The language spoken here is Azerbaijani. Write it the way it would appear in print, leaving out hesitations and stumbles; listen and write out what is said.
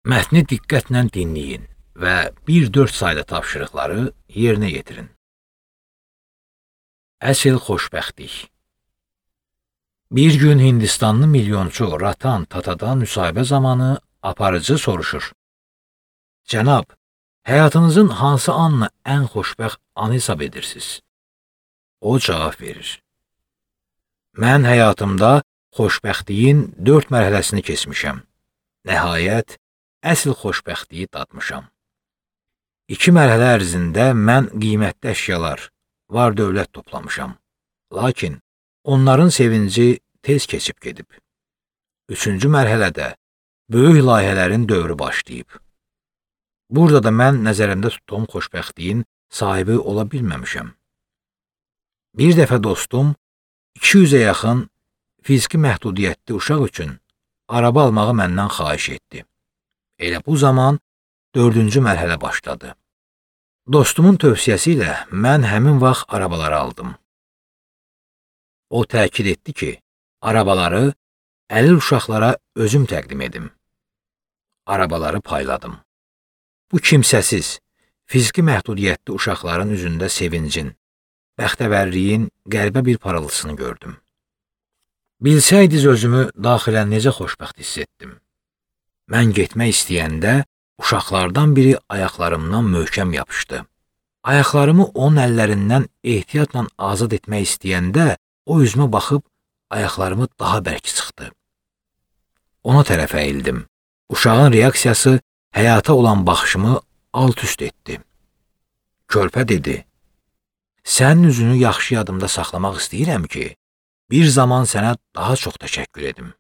Mətni diqqətlə dinləyin və 1-4 saylı tapşırıqları yerinə yetirin. Əsl xoşbəxtlik. Bir gün Hindistanlı milyonçu Ratan Tata'dan müsahibə zamanı aparıcı soruşur. Cənab, həyatınızın hansı anını ən xoşbəxt anı hesab edirsiniz? O cavab verir. Mən həyatımda xoşbəxtliyin 4 mərhələsini keçmişəm. Nəhayət, əsl xoşbəxtliyi dadmışam. 2 mərhələ ərzində mən qiymətli əşyalar, var dövlət toplamışam. Lakin onların sevinci tez keçib gedib. 3-cü mərhələdə böyük layihələrin dövrü başlayıb. Burada da mən nəzərimdə tutduğum xoşbəxtliyin sahibi ola bilməmişəm. Bir dəfə dostum 200-ə yaxın fiziki məhdudiyyətli uşaq üçün araba almağı məndən xahiş etdi. Elə bu zaman 4-cü mərhələ başladı. Dostumun tövsiyəsi ilə mən həmin vaxt arabaları aldım. O təkid etdi ki, arabaları əlil uşaqlara özüm təqdim edim. Arabaları payladım. Bu kimsəsiz, fiziki məhdudiyyətli uşaqların üzündə sevincin, bəxtəvərliyin qəribə bir parıltısını gördüm. Bilsəydiz özümü daxilən necə xoşbəxt hiss etdim. Mən getmək istəyəndə uşaqlardan biri ayaqlarımdan möhkəm yapışdı. Ayaqlarımı onun əllərindən ehtiyatla azad etmək istəyəndə o üzümə baxıb ayaqlarımı daha bərk sıxdı. Ona tərəf əyildim. Uşağın reaksiyası həyata olan baxışımı alt-üst etdi. Körpə dedi, sənin üzünü yaxşı yadımda saxlamaq istəyirəm ki, bir zaman sənə daha çox təşəkkür edim.